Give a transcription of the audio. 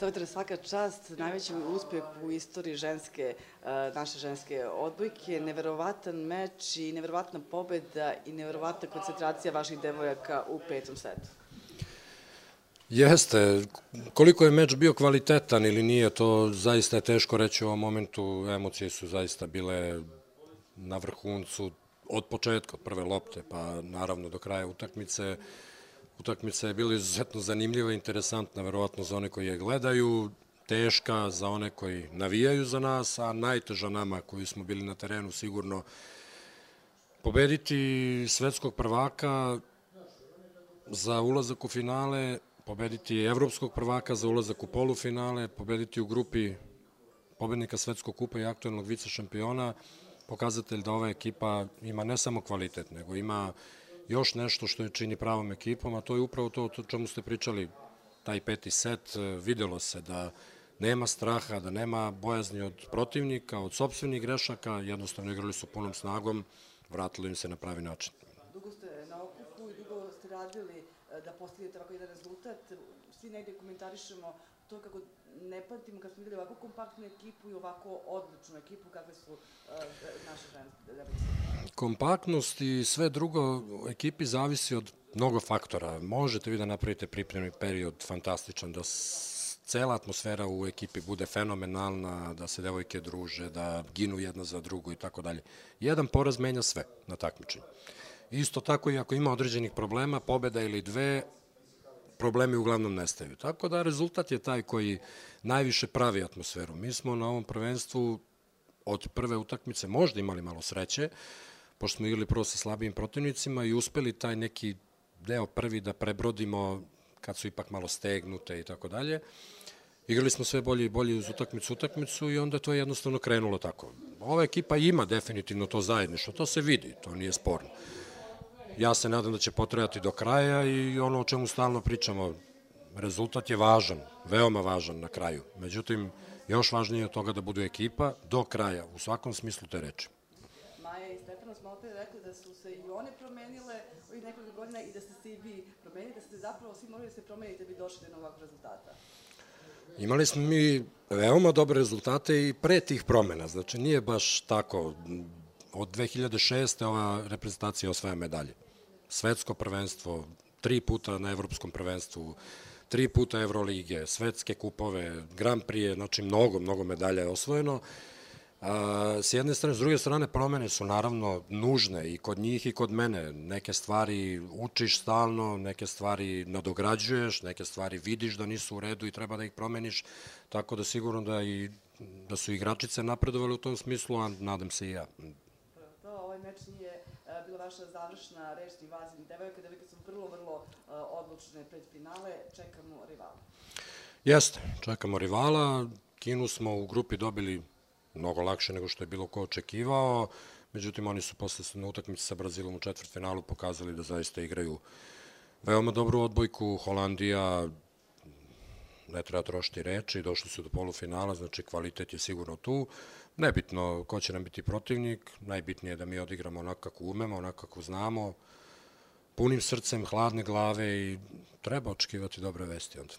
selektor, svaka čast, najveći uspeh u istoriji naše ženske odbojke, neverovatan meč i neverovatna pobeda i neverovatna koncentracija vaših devojaka u petom setu. Jeste. Koliko je meč bio kvalitetan ili nije, to zaista je teško reći u ovom momentu. Emocije su zaista bile na vrhuncu od početka, od prve lopte, pa naravno do kraja utakmice. Utakmica je bila izuzetno zanimljiva i interesantna, verovatno za one koji je gledaju, teška za one koji navijaju za nas, a najteža nama koji smo bili na terenu sigurno. Pobediti svetskog prvaka za ulazak u finale, pobediti evropskog prvaka za ulazak u polufinale, pobediti u grupi pobednika svetskog kupa i aktuelnog vice šampiona, pokazatelj da ova ekipa ima ne samo kvalitet, nego ima još nešto što je čini pravom ekipom, a to je upravo to o čemu ste pričali, taj peti set. Videlo se da nema straha, da nema bojazni od protivnika, od sopstvenih grešaka, jednostavno igrali su punom snagom, vratilo im se na pravi način. Dugo ste na okupu i dugo ste radili da postignete ovako jedan rezultat. Svi negde komentarišemo to kako ne pamtimo kad smo videli ovako kompaktnu ekipu i ovako odličnu ekipu kakve su naše ženske. Kompaktnost i sve drugo u ekipi zavisi od mnogo faktora. Možete vi da napravite pripremni period fantastičan, da cela atmosfera u ekipi bude fenomenalna, da se devojke druže, da ginu jedna za drugu i tako dalje. Jedan poraz menja sve na takmičenju. Isto tako i ako ima određenih problema, pobeda ili dve, problemi uglavnom nestaju. Tako da rezultat je taj koji najviše pravi atmosferu. Mi smo na ovom prvenstvu od prve utakmice možda imali malo sreće, pošto smo igrali prvo sa slabijim protivnicima i uspeli taj neki deo prvi da prebrodimo kad su ipak malo stegnute i tako dalje. Igrali smo sve bolje i bolje uz utakmicu i onda to je jednostavno krenulo tako. Ova ekipa ima definitivno to zajedništvo, to se vidi, to nije sporno. Ja se nadam da će potrajati do kraja i ono o čemu stalno pričamo, rezultat je važan, veoma važan na kraju. Međutim, još važnije od toga da budu ekipa do kraja, u svakom smislu te reči. Maja i Stefano smo opet rekli da su se i one promenile ovih nekoliko godina i da ste se i vi promenili, da ste zapravo svi morali da se promenite da bi došli do novog rezultata. Imali smo mi veoma dobre rezultate i pre tih promena, znači nije baš tako. Od 2006. ova reprezentacija osvaja medalje. Svetsko prvenstvo, 3 puta na evropskom prvenstvu, 3 puta Evrolige, svetske kupove, Grand Prix, znači mnogo medalja je osvojeno. S jedne strane, s druge strane, promene su naravno nužne i kod njih i kod mene. Neke stvari učiš stalno, neke stvari nadograđuješ, neke stvari vidiš da nisu u redu i treba da ih promeniš, tako da sigurno da su igračice napredovali u tom smislu, a nadam se i ja. Ovaj meč nije bila vaša završna reč ni vas ni devojaka su vrlo odlučne pred finale, čekamo rivala. Jeste, čekamo rivala, Kinu smo u grupi dobili mnogo lakše nego što je bilo ko očekivao, međutim oni su posle na utakmici sa Brazilom u četvrtfinalu pokazali da zaista igraju veoma dobru odbojku. Holandija, ne treba trošiti reči, došli su do polufinala, znači kvalitet je sigurno tu. Nebitno ko će nam biti protivnik, najbitnije je da mi odigramo onako kako umemo, onako kako znamo, punim srcem, hladne glave i treba očekivati dobre vesti onda.